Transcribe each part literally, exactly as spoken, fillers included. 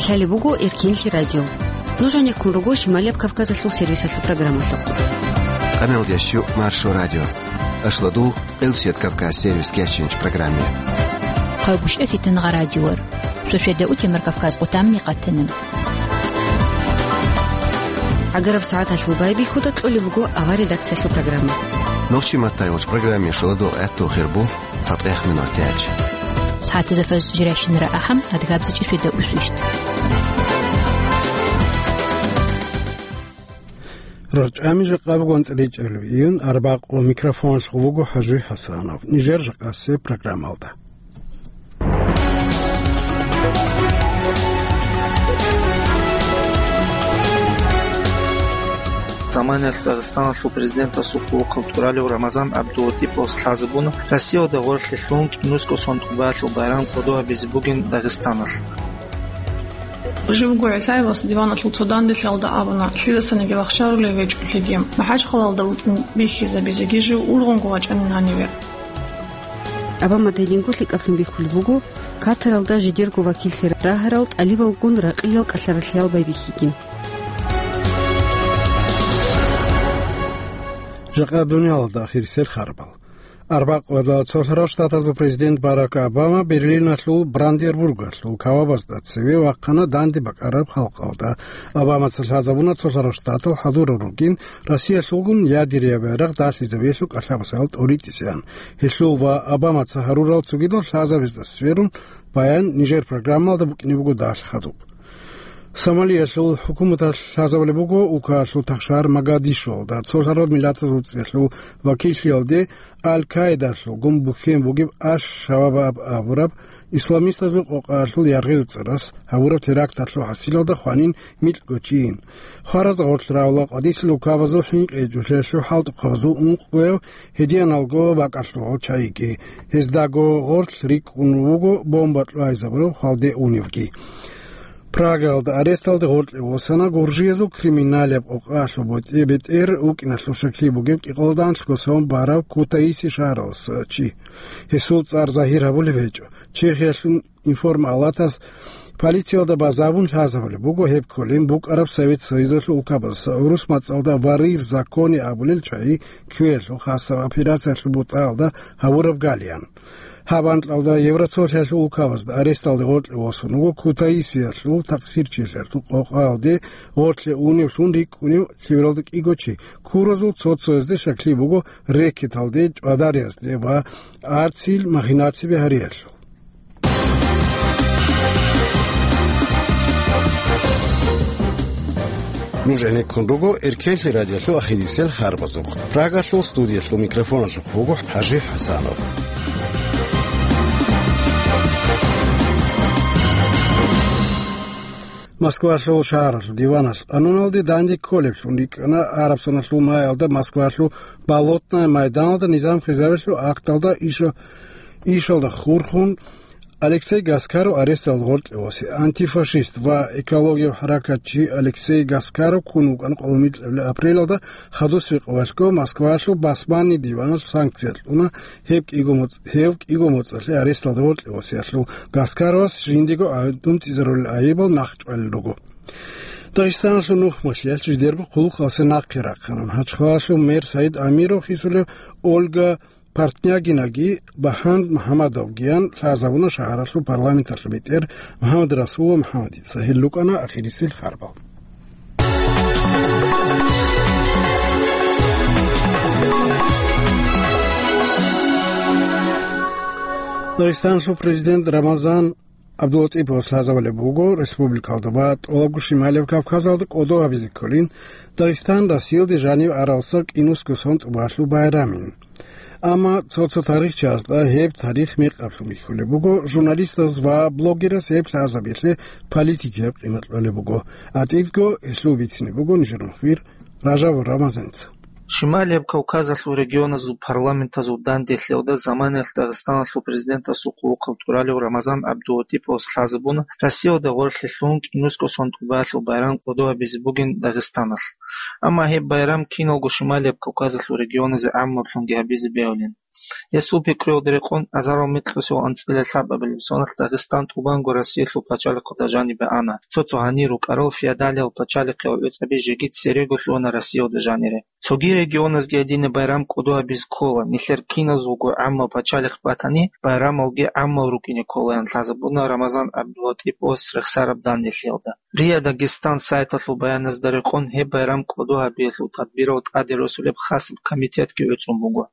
Лъалеб буго Эркенлъи радио. Нуж гьанеккун руго Шималияб Кавказалъул сервисалъул программалъухъ. Къамел ящу Маршо радио. Ашладул Элсият Кавказ сервис кечинч программе. Хъагушев Фитнагъа радиор. Шошеда утемар Кавказ къутамни къатана. Агараб сагӀаталъул байбихьуда кьолеб буго авар редакциялъул программа. Нохчи матайвалч программе шуладул гӀатту хирбу. ЦатӀех минутач. СагӀатазда фаз жирайщинара ахӀам, адгабзичӀи шведа усвищ. РачӀами жакъа бугон цӀеричӀел виюн, арбакъо микрофонлъ гъубуго ХӀажи ХӀасанов. Нижер жакъасе программалда. Заманиялъ Дагъистаналъул президентасул хъулухъав тӀуралев Рамазан ГӀабдулатӀиповас лъазабуна Россиялда гъорлъе лъун кӀинусго сон тӀубаалъул байрам кӀодо гьабизе бугин Дагъистаналъ. Жив гугӀисаевас диваналъул цо данделъиялда абуна, лъидасаниги вахчарулев гьечӀо лъиги. МахӀачхъалалда вукӀин бихьизабизеги жив ургъунго вачӀанин гьаниве. Обама дайдинго лъикӀаблъун бихьулеб буго Катаралда жидерго вакиллъи рагьарал тӀалибалгун ракъиял кӀалъаралъиял байбихьиги. Жакъа дуниялалда ахирисел харбал. Арбакъоялда цолъарал штатазул президент Барак Обама Берлиналъул Бранденбургалъул кавабазда цеве вахъана данде бакӀараб халкъалда. Обамаца лъазабуна цолъарал штатал хӀадурал ругин Россиялъулгун ядерияв байрагъ далъизабиялъул кӀалъабасал тӀоритӀисеян. Гьелъул ва Обамаца гьарурал цогидал лъазабазда сверун баян нижер программалда букӀине буго далъ хадуб. Сомалиялъул хӀукуматалъ лъазабулеб буго улкаялъул тахшар Могадишуалда цолъарал миллатазул цӀехьул вакиллъиялде Аль-Каидалъулгун бухьен бугеб Аш-Шабаб абураб исламистазул къокъаялъул яргъи-дуцӀарас гьабураб теракталъул хӀасилалда хванин микьго чийин. Хваразда гъорлъ равла къвадисел улкабазул хӀинкъи гӀечӀолъиялъул хӀалтӀухъабазул ункъгояв гьедианалго бакӀалъугъав чайги. Гьездаго гъорлъ рикӀкӀун вуго бомба кьвайзабурав хвалде уневги. Прагаялда аресталде гъоркье восана гуржиязул криминалияб къокъаялъул бетӀе-, бетӀер вукӀиналъул щаклъи бугеб кӀикъоялда анлъго сон барав Кутаиси шагьаралъуса чи. Гьесул цӀар загьир гьабулеб гьечӀо. Чехиялъул информалатас полициялда базабун лъазабулеб буго гьеб кколин букӀараб Совет Союзалъул улкабаз гӀурус мацӀалда «Воры в законе» абулел чагӀи кквеялъул хасаб операциялъул бутӀаялда гьабураб галиян. Гьаб анкьалда Евросоюзалъул улкабазда аресталде гъоркье восун вуго Кутаисиялъул такъсирчилъиялъул къокъаялде гъоркье уневлъун рикӀкӀунев лъивалда кӀиго чи, куразул цо-цоязде щаклъи буго рэкеталде, чӀвадариязде ва арцил махинацияби гьариялъул. Нуж гӀенеккун руго Эркенлъи радиолъул ахирисел харбазухъ. Прагалъул студиялъул микрофоналъухъ вуго ХӀажи ХӀасанов. Москвалъул шагьаралъул диваналъ къануналде данде кколеблъун рикӀкӀана арабсаналъул маялда Москвалъул Болотная майданалда низам хвезабиялъул акталда иша-, ишалда хурхун Алексей Гаскаров аресталда гъоркье восе. Антифашист ва экологияб хӀаракатчи Алексей Гаскаров ккун вукӀана къоло микьабилеб апрелалда хадусеб къоялъго Москвалъул басманни диваналъ санкция кьуна гьеб кӀиго моцӀ-, гьев кӀиго моцӀалъе аресталда гъоркье восиялъул. Гаскаровас жиндего гӀадамал цӀизарулел айибал нахъчӀвалел руго. Дагъистаналъул нухмалъиялъ жидерго хъулухъасе нахъе рахъана. МахӀачхъалалъул мэр Саид Амиров хисулев Ольга Портнягинаги Баханд МухӀамадовгиян лъазабуна шагьаралъул парламенталъул бетӀер МухӀаммад Расулов МухӀаммадица. Гьел рукӀана ахирисел харбал. Дагъистаналъул президент Рамазан ГӀабдуллатӀиповас лъазабулеб буго республикалда ва тӀолабго Шималияб Кавказалда кӀодо гьабизе кколин Дагъистан Россиялде жанив аралса кӀинусго сон тӀубалъул байрамин. Амма цо-цо тарихчиясда гьеб тарих мекъаблъун бихьулеб буго, журналистаз ва блогераз гьеб лъазабиялъе политикияб къимат кьолеб буго. ГьатӀидго гьелъул бицине буго нижер мухбир Ражабов Рамазанца. Шималияб Кавказалъул регионазул парламентазул данделъиялда заманиялъ Дагъистаналъул президентасул хъулухъав тӀуралев Рамазан ГӀабдулатӀиповас лъазабуна Россиялда гъорлъе лъун кӀинусго сон тӀубаялъул байрам кӀодо гьабизе бугин Дагъистаналъ. Амма гьеб байрам киналго Шималияб Кавказалъул регионазе гӀаммаблъунги гьабизе бегьулин. Гьесул пикруялда рекъон азарал микьусул анцӀила лъабабилеб соналъ Дагъистан тӀубанго Россиялъул пачалихъалда жанибе ана. Цо-цо гьанир рукӀарал феодалиял пачалихъиял гӀуцӀаби жеги церего лъугьана Россиялда жанире. Цоги регионазги гьедине байрам кӀодо гьабизе ккола, нилъер киназулго гӀаммаб пачалихъ батани, байрамалги гӀаммал рукӀине кколаян лъазабуна Рамазан ГӀабдулатӀиповас рехсараб данделъиялда. РИА Дагестан сайталъул баяназда рекъон гьеб байрам кӀодо гьабиялъул тадбирал тӀаде росулеб хасаб комитетги гӀуцӀун буго.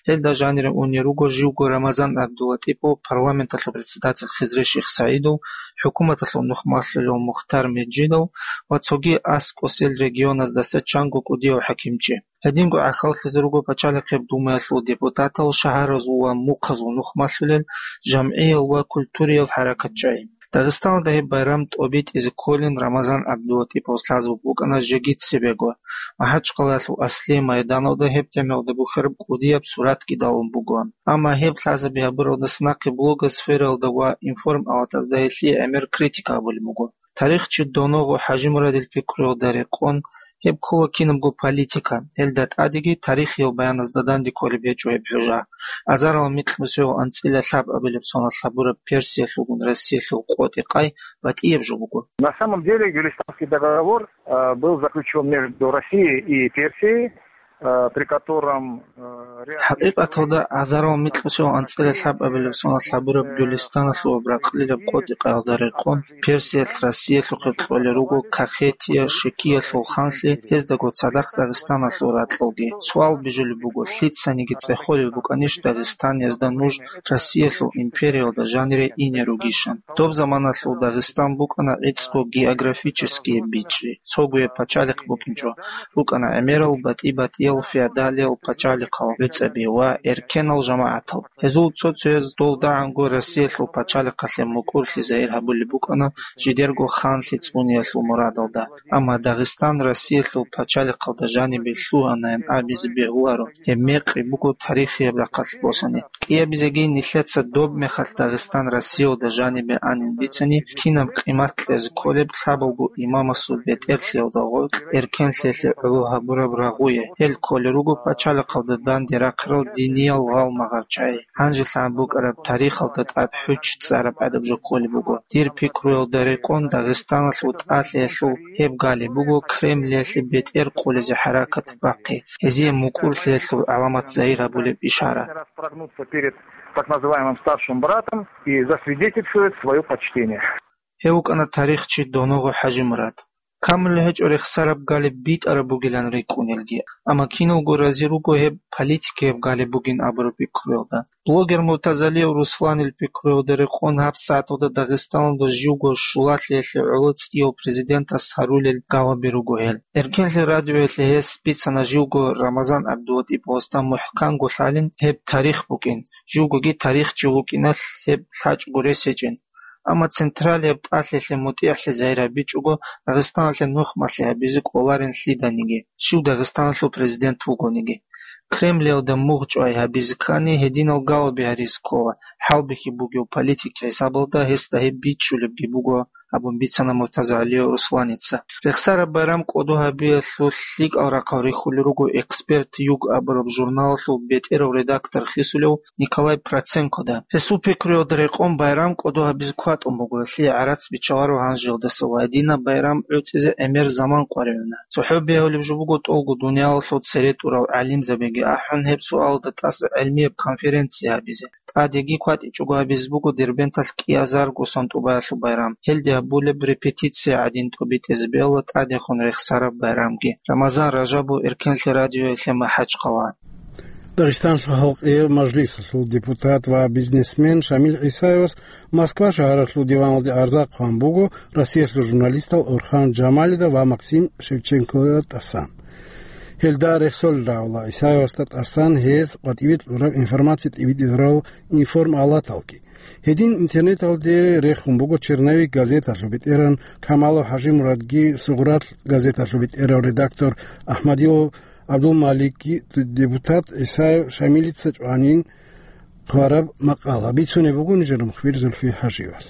Гьелда жанире унел руго живго Рамазан ГӀабдулатӀипов, парламенталъул председатель Хизри Шихсаидов, хӀукуматалъул нухмалъулев Мухтар Межидов ва цоги аскӀосел регионаздаса чанго кӀудияв хӀакимчи. Гьединго гӀахьаллъизе руго Пачалихъеб Думаялъул депутатал, шагьаразул ва мухъазул нухмалъулел, жамгӀиял ва культуриял хӀаракатчагӀи. Дагъистаналда гьеб байрам тӀобитӀизе кколин Рамазан ГӀабдулатӀиповас лъазаб букӀана жеги цебего. МахӀачхъалаялъул аслияб майданалда гьеб тӀемалда бухьараб кӀудияб суратги далун бугоан. Амма гьеб лъазаби гьабуралдаса нахъе блогосфералда ва информалатазда гьелъие гӀемер критика гьабулеб буго. Тарихчи Доногъо ХӀажимурадил пикруялда рекъон, гьеб ккола кинабго политика, гьелда тӀадеги тарихиял баяназда данде кколеб гьечӀо гьеб хӀужа. Азарал микьнусиго анцӀила лъабабилеб соналъ гьабураб Персиялъулгун Россиялъул къотӀи-къай батӀияб жо буго. На самом деле, Гюлистанский договор, э, был заключён между Россией и Персией, э, при котором, э, ряд ХӀакъикъаталда, азарал микьусиго анцӀила лъабабилеб соналъ гьабураб Гюлистаналъул ракълилаб къотӀи-къаялда рекъон, Персиялъ Россиялъухъе кьолел руго Кахетия Шекиялъул ханлъи, гьездаго цадахъ Дагъистаналъул ракьалги. Суал бижулеб буго, лъицаниги цӀехолеб букӀанищ Дагъистаниязда нуж Россиялъул империялда жанире ине ругищан? Доб заманалъул Дагъистан букӀана гӀицӀго географические бичӀчӀи, цогуяб пачалихъ букӀинчӀо, рукӀана гӀемерал батӀи-батӀиял феодалиял пачалихъал гӀуцӀаби ва эркенал жамагӀатал. Гьезул цо-цояз дол дагӀанго Россиялъул пачалихъалъе мукӀурлъи загьир гьабулеб букӀана жидерго ханлъи цӀуниялъул мурадалда. Амма Дагъистан Россиялъул пачалихъалда жанибе лъугьанаян абизе бегьуларо, гьеб мекъи буго тарихияб рахъалъ босани. КӀиабизеги нилъеца доб мехалъ Дагъистан Россиялда жанибе анин бицани, кинаб къимат кьезе кколеб лъабалго имамасул бетӀерлъиялда гъоркь эркенлъиялъе гӀоло гьабураб рагъуе, гьел кколел руго пачалихъалда данде рахъарал диниял гъалмагъал чагӀи. Гьанже лъан букӀараб тарихалда тӀад хӀуч цӀараб гӀадаб жо кколеб буго. Дир пикруялда рекъон Дагъистаналъул тӀалъиялъул гьеб галеб буго Кремлиялъе бетӀер къулизе хӀаракат бахъи, гьезие мукӀурлъиялъул гӀаламат загьир гьабулеб ишара. Распрогнуться перед так называемым старшим братом и засвидетельствовать своё почтение. Гьев вукӀана тарихчи Доногъо ХӀажимурад. Камулеб гьечӀо рехсараб галеб битӀараб бугилан рикӀкӀунелги, амма киналго рази руго гьеб политикияб галеб бугин абураб пикруялда. Блогер Муртазалиев Русланил пикруялда рекъон гьаб сагӀаталда Дагъистаналда живго щулалъиялъе гӀоло цӀияв президентас гьарулел галаби руго гьел. Эркенлъи радиоялъе гьес бицана живго Рамазан ГӀабдулатӀиповасда мухӀканго лъалин гьеб тарих букӀин, живгоги тарихчи вукӀиналъ гьеб лъачӀого рес гьечӀин. Амма централияб тӀалъиялъе мутӀигӀлъи загьир гьабичӀого, Дагъистаналъе нухмалъи гьабизе кӀоларин лъиданиги, щив Дагъистаналъул президент вугониги. Кремлиялда мугъ чӀвай гьабизе ккани, гьединал галаби гьаризе ккола, хӀалбихьи бугев политик хӀисабалда гьесда гьеб бичӀчӀулебги буго, абун бицана Муртазагьалиев Русланица. Рехсараб байрам кӀодо гьабиялъул лъикӀал рахъал рихьулел руго «Эксперт Юг» абураб журналалъул бетӀерав редактор хисулев Николай Проценкода. Гьесул пикруялда рекъон байрам кӀодо гьабизе кватӀун буго, гьелъие гӀарац биччаларо гьанжеялдаса ва гьединаб байрам гӀуцӀизе гӀемер заман къваригӀуна. ЦохӀо бегьулеб жо буго тӀолго дуниялалъул цере тӀурал гӀалимзабиги ахӀун, гьеб суалда тӀаса гӀелмияб конференция гьабизе. ТӀадеги кватӀичӀого гьабизе буго Дербенталъ кӀиазарго сантӀубаялъул байрам. Гьелде гьабулеб репетиция гӀадин тӀобитӀизе бегьула тӀадехун рехсараб байрамги. Рамазан Ражабов, Эркенлъи радиоялъе, МахӀачхъала. Дагъистаналъул халкъияв мажлисалъул депутат ва бизнесмен Шамил ГӀисаевас Москва шагьаралъул диваналде гӀарза хъван буго Россиялъул журналистал Орхан Джамалида ва Максим Шевченкода тӀасан. Гьелда рехсолел рагӀула ГӀисаевасда тӀасан гьез къватӀиве кьураб информация тӀибитӀизарал информалаталги. Гьедин интернеталде рехун буго «Черновик» газеталъул бетӀеран Камалов ХӀажимурадги, «Сугърат» газеталъул бетӀерав редактор Ахмадилов ГӀабдулмаликги, депутат ГӀисаев Шамилица чӀванин хъвараб макъала. Бицунеб буго нижер мухбир Зульфи ХӀажиевас.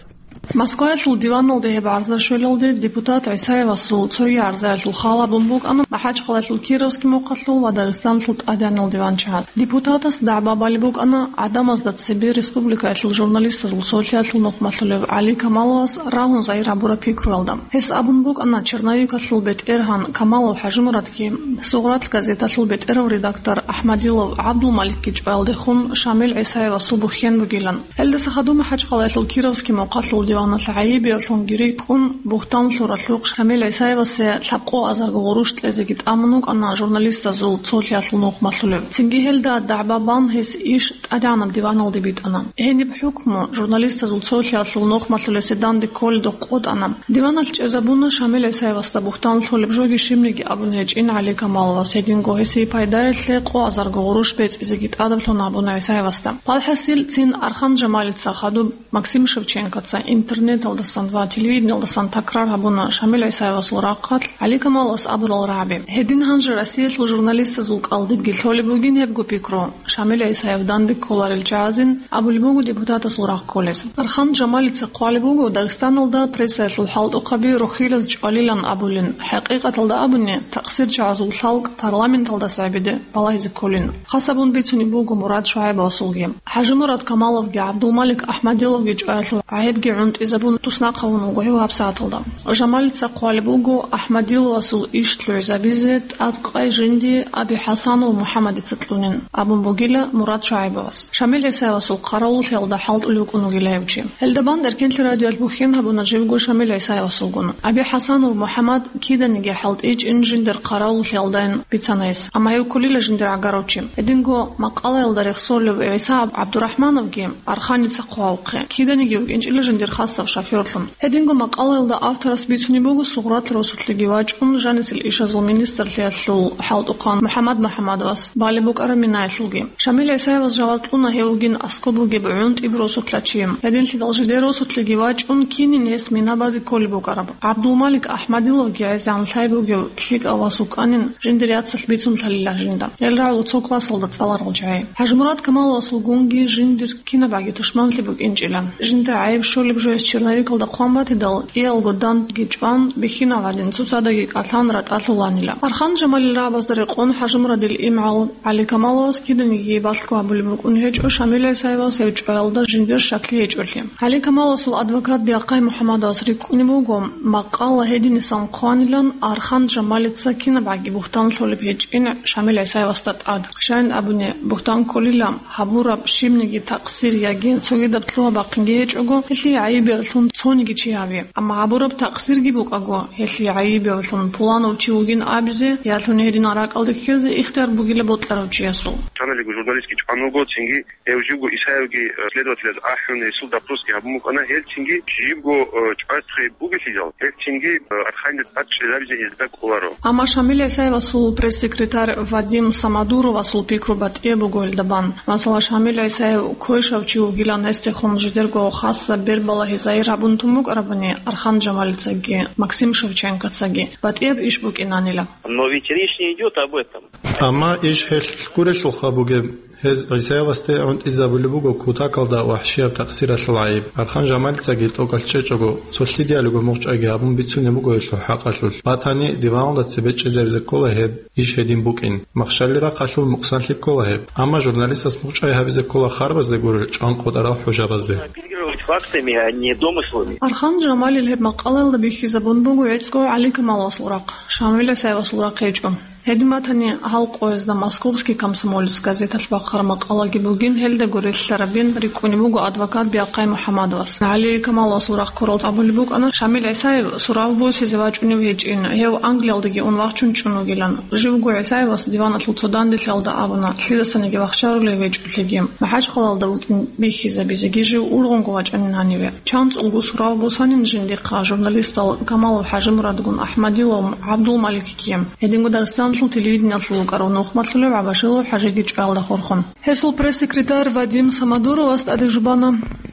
Москваялъул диваналде гьеб гӀарза щвелалде депутат ГӀисаевасул цоги гӀарзаялъул хал гьабун букӀана МахӀачхъалаялъул Кировский мухъалъул ва Дагъистаналъул тӀадегӀанал диванчагьаз. Депутатас дагӀба балеб букӀана гӀадамазда цебе республикаялъул журналистазул цолъиялъул нухмалъулев ГӀали Камаловас рагьун загьир гьабураб пикруялда. Гьес абун букӀана черновикалъул бетӀергьан Камалов ХӀажимурадги, «Сугърат» газеталъул бетӀерав редактор АхӀмадилов ГӀабдулмаликги чӀваялдехун Шамил ГӀисаевасул бухьен бугилан. Гьелдаса хадуб МахӀачхъалаялъул Кировский мухъалъул диваналъ гӀайибиялъунги рикӀкӀун, бугьтан лъуралъухъ Шамил ГӀисаевасе лъабкъо азарго гъурущ кьезеги тӀамун вукӀана журналистазул цолъиялъул нухмалъулев. Цинги гьелда дагӀба бан гьес иш тӀадегӀанаб диваналде битӀана. Гьениб хӀукму журналистазул цолъиялъул нухмалъулесе данде кколедухъ къотӀана. Диваналъ чӀезабуна Шамил ГӀисаевасда бугьтан лъолеб жоги щибниги абун гьечӀин ГӀали Камаловас, гьединго гьесие пайдаялъе къо азарго гъурущ бецӀизеги тӀадаблъун абуна ГӀисаевасда. Валхъасил, цин Архан Жамалица хадуб Максим Шевченкоца интернеталдасан ва телевидениялдасан такрар гьабуна Шамил ГӀисаевасул рахъалъ ГӀали Камаловас абурал рагӀаби. Гьедин гьанже Россиялъул журналистазул кӀалдибги лъолеб бугин гьебго пикру. Шамил ГӀисаев данде кколарел чагӀазин абулеб буго депутатасул рагъ кколез. Архан Жамалица хъвалеб буго Дагъистаналда прессаялъул хӀалтӀухъаби рохилаз чӀвалилан абулин, хӀакъикъаталда абуни, такъсирчагӀазул лъалкӀ парламенталдаса гӀебеде балагьизе кколин. Хасабун бицунеб буго Мурад ШугӀайбовасулги. ХӀажимурад Камаловги ГӀабдулмалик АхӀмадиловги чӀваялъул гӀайибги гӀунтӀизабун туснахъ гьавун вуго гьев гьабсагӀаталда. Жамалица хъвалеб буго АхӀмадиловасул иш лъугӀизабизе тӀадкъай жинди Аби ХӀасанов МухӀаммадица кьунин, абун бугила Мурад ШугӀайбовас. Шамил ГӀисаевасул хъаравуллъиялда хӀалтӀулев вукӀун вугила гьев чи. Гьелда бан Эркенлъи радиоялъ бухьен гьабуна живго Шамил ГӀисаевасулгун. Аби ХӀасанов МухӀаммад киданиги хӀалтӀичӀин жиндир хъаравуллъиялдайин бицана гьес, амма гьев кколила жиндир гӀагарав чи. Гьединго макъалаялда рехсолев ГӀиса ГӀабдурахӀмановги Арханица хъвавухъе, киданиги вукӀинчӀила жиндир хасав шофёрлъун. Гьединго макъалаялда авторас бицунеб буго Сугърат росулъеги вачӀун, жанисел ишазул министрлъиялъул хӀалтӀухъан МухӀаммад МухӀаммадовас балеб букӀараб минаялъулги. Шамил ГӀисаевас жаваб кьуна гьев вугин аскӀоб бугеб гӀунтӀиб росулъа чи. Гьединлъидал жидер росулъеги вачӀун, кинин гьес мина базе кколеб букӀараб. ГӀабдулмалик АхӀмадиловги гӀезегӀан лъай бугев лъикӀав вас вукӀанин жиндир яцалъ бицунлъалила жинда. Гьел рагӀула цо классалда цӀаларал чагӀи. ХӀажимурад Камаловасулгунги жиндир кинабгӀаги тушманлъи букӀинчӀила. Жинда гӀайиб щолеб жо гьес черновикалда хъван батидал, кӀиялго дандги чӀван, бихьинал гӀадин цоцаздаги кӀалъан ратӀалъуланила. Архан Жамалил рагӀабазда рекъон ХӀажимурадил имгӀал ГӀали Камаловас киданиги балъго гьабулеб букӀун гьечӀо Шамил ГӀисаевас гьев чӀваялда жиндир щаклъи гьечӀолъи. ГӀали Камаловасул адвокат Биахъай МухӀаммадовас рикӀкӀунеб буго, макъала гьединасан хъванилан Архан Жамалица кинабгӀаги бугьтан лъолеб гьечӀин Шамил ГӀисаевасда тӀад. Щайин абуни, бугьтан кколила, гьабураб щибниги такъсир яги цогидаб лъугьа-бахъинги гьечӀого, гьелъие гӀайибиялъун цониги чи гьави. Амма гьабураб такъсирги букӀаго, гьелъие гӀайибиялъун пуланав чи вугин абизе, ялъуни гьединал ракӀалде ккезе ихтияр бугила бокьарав чиясул. Чаналиго журналистги чӀван вуго, цинги гьев живго Исаевги, э, следователаз ахӀун, гьесул допросги гьабун букӀана, гьел цинги живго, э, чӀвазе бугелъидал, гьел цинги, э, Арханида тӀад чӀезабизе гьезда кӀоларо. Амма Шамил ГӀисаевасул пресс-секретарь Вадим Самодуровасул пикру батӀияб буго гьелда бан. Масала, Шамил ГӀисаев квешав чи вугилан гьесдехун жидерго хасаб бербалагьи загьир гьабун тун букӀарабани Архан Жамалицаги Максим Шевченкоцаги, батӀияб иш букӀинанила. Но ведь речь не идёт об этом. Амма иш гьелъ гурелъулха бугеб, гьез ГӀисаевасде гӀунтӀизабулеб буго кутакалда вахӀшияб такъсиралъул гӀайиб. Архан Жамалицаги тӀокӀалъ чӀечӀого, цо лъидиялиго мугъчӀайги гьабун бицунеб буго гьелъул хӀакъалъулъ. Батани, диваналда цебе чӀезабизе ккола гьеб иш гьедин букӀин. Махщалил рахъалъул мукъсанлъи ккола гьеб. Амма журналистас мугъчӀай гьабизе ккола харбазде гурел чӀван къотӀарал хӀужабазде. Апеллировать фактами, а не домыслами. Архан Жамалил гьеб макъалаялда бихьизабун буго гӀицӀго ГӀали Камаловасул рахъ, Шамил ГӀисаевасул рахъ гьечӀо. Гьедин батани, гьал къоязда «Московский комсомолец» газеталъ бахъараб макъалаги бугин, гьелдаго релълъарабин рикӀкӀунеб буго адвокат Биахъай МухӀаммадовас. ГӀали Камаловасул рахъ ккурал абулеб букӀана, Шамил ГӀисаев сурав босизе вачӀунев гьечӀин, гьев Англиялдаги ун вахчун чӀун вугилан. Живго ГӀисаевас диваналъул цо данделъиялда абуна, лъидасаниги вахчарулев гьечӀолъиги, МахӀачхъалаялда вукӀин бихьизабизеги жив ургъунго вачӀанин гьаниве. ЧанцӀулго сурав босанин жиндихъа журналистал Камалов ХӀажимурадгун АхӀмадилов ГӀабдулмаликги, гьединго Дагъистаналъул телевидениялъул вукӀарав нухмалъулев ГӀабашилов ХӀажиги чӀваялда хурхун. Гьесул пресс-секретарь Вадим Самодуровас тӀаде жубана,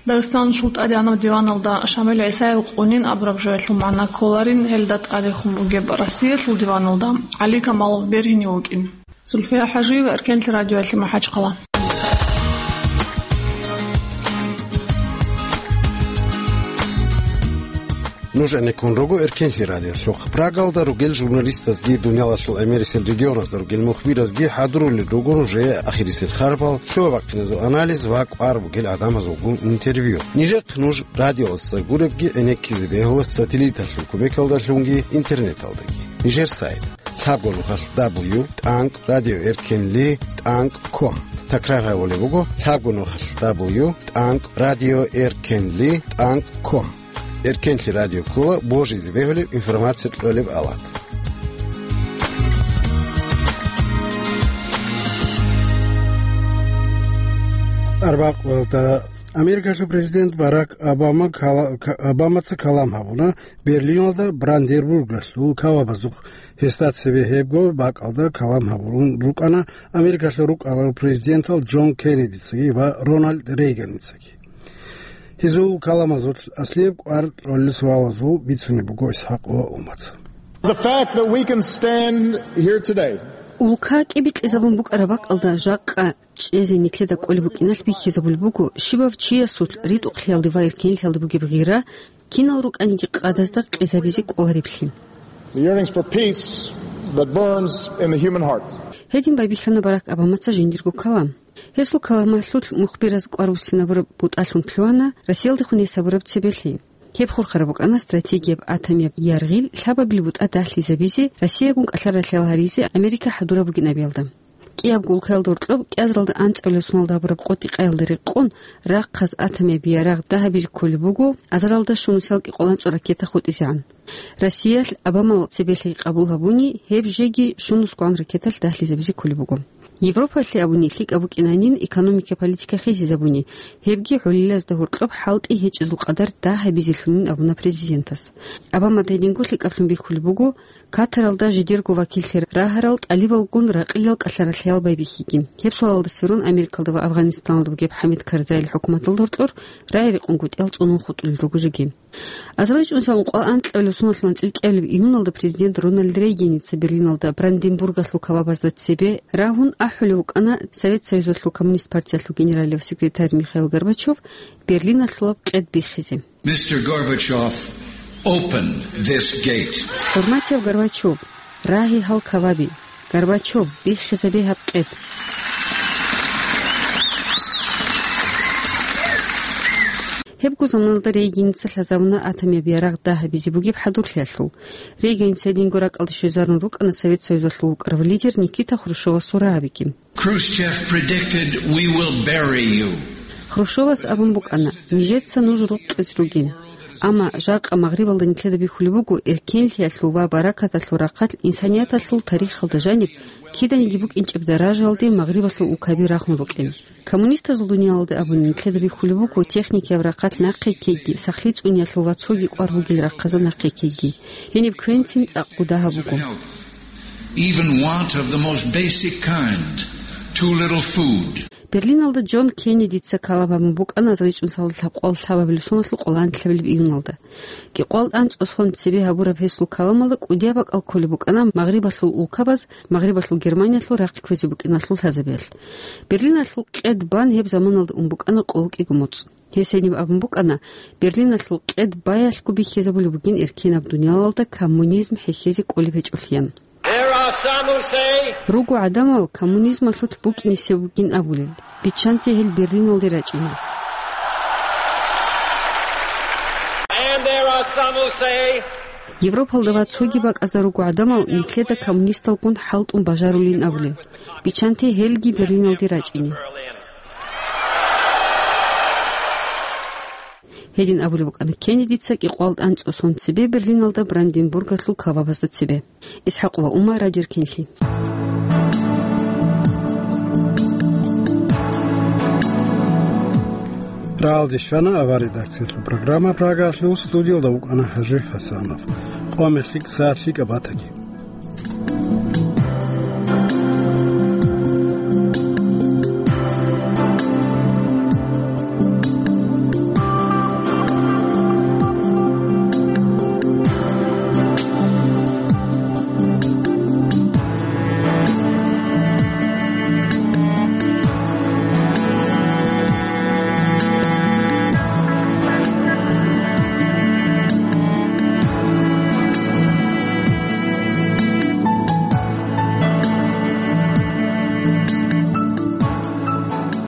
Дагъистаналъул тӀадегӀанаб диваналда Шамил ГӀисаев къунин абураб жоялъул магӀна кколарин, гьелда тӀадехун бугеб Россиялъул диваналда ГӀали Камалов бергьинив вукӀин. Зульфия ХӀажиева, Эркенлъи радиоялъе, МахӀачхъала. Нуж гӀенеккун руго Эркенлъи радиолъухъ. Прагалда ругел журналистазги, дуниялалъул гӀемерисел регионазда ругел мухбиразги хӀадурулел руго нужее ахирисел харбал, лъугьа-бахъиназул анализ ва кӀвар бугел гӀадамазулгун интервью. Нижехъ нуж радиоялдаса гуребги гӀенеккизе бегьула сателлиталъул кумекалдалъунги интернеталдаги. Нижер сайт: лъабго нухалъ дабл ю тӀанкӀ радио эркенли тӀанкӀ ком. Такрар гьабулеб буго: лъабго нухалъ дабл ю тӀанкӀ радио эркенли тӀанкӀ ком. Эркенлъи радио ккола божизе бегьулеб информация кьолеб алат. Арбякъулалда Америкалъул президент Барак Обама кала-, Ка-, Обамаца калам гьабуна Берлиналда Бранденбургалъул кавабазухъ. Гьесда цебе гьебго бакӀалда калам гьабурун рукӀана Америкалъул рукӀаларул президентал Джон Кеннедицаги ва Рональд Рейганицаги. Гьезул каламазул аслияб кӀвар кьолел суалазул бицунеб буго ИсхӀакъ ва Умаца. The fact that we can stand here today Улка кӀибикьизабун букӀараб бакӀалда жакъа чӀезе нилъеда кӀолеб букӀиналъ бихьизабулеб буго, щибав чиясулъ ритӀухълъиялде ва эркенлъиялде бугеб гъира кинал рукӀаниги къадазда къезабизе кӀолареблъи. The yearnings for peace that burns in the human heart. Гьедин байбихьана Барак Обамаца жиндирго калам. Гьесул каламалъулъ мухбираз кӀвар буссинабураб бутӀалъун лъугьана Россиялдехун гьесабураб цебелъи. Гьеб хурхараб букӀана стратегияб атомияб яргъил лъабабил бутӀа дагьлъизабизе, Россиягун кӀалъа-ралъал гьаризе Америка хӀадураб бугин абиялда. КӀиябго улкаялда гьоркьоб кӀиазаралда анцӀабилеб соналда гьабураб къотӀи-къаялда рекъон рахъаз атомияб ярагъ дагьабизе кколеб буго азаралда щунусиялда кӀикъоялда анцӀго ракета хутӀизегӀан. Россиялъ Обамал цебелъи къабул гьабуни, гьеб жеги щунусгоан ракеталъ дагьлъизабизе кколеб буго. Европаялъе абуни лъикӀаб букӀинанин экономика-политика хисизабуни, гьебги гӀолилазда гьоркьоб хӀалтӀи гьечӀезул къадар дагьабизелъунин абуна президентас. Обамада гьединго лъикӀаблъун бихьулеб буго, Катаралда жидерго вакиллъи рагьарал тӀалибалгун ракъилал кӀалъа-ралъаял байбихьиги. Гьеб суалалда сверун Америкалда ва Афганистаналда бугеб ХӀамид Карзайил хӀукуматалда гьоркьор рагӀи-рекъон гутӀиял цӀунун хутӀулел руго жеги. АзарилчӀунсал ункъоялда анкьабилеб соналъ анцӀила кӀиабилеб июналда президент Рональд Рейганица Берлиналда Бранденбургалъул кавабазда цебе рагьун ахӀулев вукӀана Совет Союзалъул Коммунист партиялъул генералияв секретарь Михаил Горбачев Берлиналъулаб къед биххизе. Мистер Горбачев, open this gate. ХӀурматияв Горбачев, рагье гьал каваби. Горбачев, биххизабе гьаб къед. Гьебго заманалда Рейганица лъазабуна атомияб ярагъ дагьабизе бугеб хӀадурлъиялъул. Рейганица гьединго ракӀалде щвезарун рукӀана Совет Союзалъул вукӀарав лидер Никита Хрущевасул рагӀабиги. Khrushchev predicted, "We will bury you." Хрущевас абун букӀана, нижеца нуж рукъизе ругин. Амма жакъа Магърибалда нилъеда бихьулеб буго эркенлъиялъул ва баракаталъул рахъалъ инсанияталъул тарихалда жаниб киданиги букӀинчӀеб даражаялде Магърибалъул улкаби рахун рукӀин. Коммунистазул дуниялалда абуни нилъеда бихьулеб буго техникияб рахъалъ нахъе ккейги, сахлъи цӀуниялъул ва цоги кӀвар бугел рахъазда нахъе ккейги. Гьениб квенцин цӀакъ гуда гьабуго. Even want of the most basic kind, too little food. Берлиналда Джон Кеннедица калам гьабун букӀана азарилчӀунсалда лъабкъоялда лъабабилеб соналъул къоло анлъабилеб июналда. КӀикъоялда анцӀго сон цебе гьабураб гьесул каламалда кӀудияб бакӀал кколеб букӀана Магърибалъул улкабаз Магърибалъул Германиялъул рахъ кквезе букӀиналъул лъазабиялъ. Берлиналъул къед бан гьеб заманалда ун букӀана къоло кӀиго моцӀ. Гьес гьениб абун букӀана, Берлиналъул къед баялъго бихьизабулеб бугин эркенаб дуниялалда коммунизм хӀехьезе кӀолеб гьечӀолъиян. There are some who say, Руго гӀадамал коммунизмалъулъ букӀинесеб бугин абулел, биччанте гьел Берлиналде рачӀине. And there are some who say, Европалда ва цоги бакӀазда руго гӀадамал нилъеда коммунисталгун хӀалтӀун бажарулин абулел, биччанте гьелги Берлиналде рачӀине. Гьедин абулеб букӀана Кеннедица кӀикъоялда анцӀго сон цебе Берлиналда Бранденбургалъул кавабазда цебе. ИсхӀакъ ва Ума, Радио Эркенлъи. Рагьалде щвана авар редакциялъул программа Прагалъул, студиялда вукӀана ХӀажи ХӀасанов. Къоялъ лъикӀ, сагӀат лъикӀаб батаги.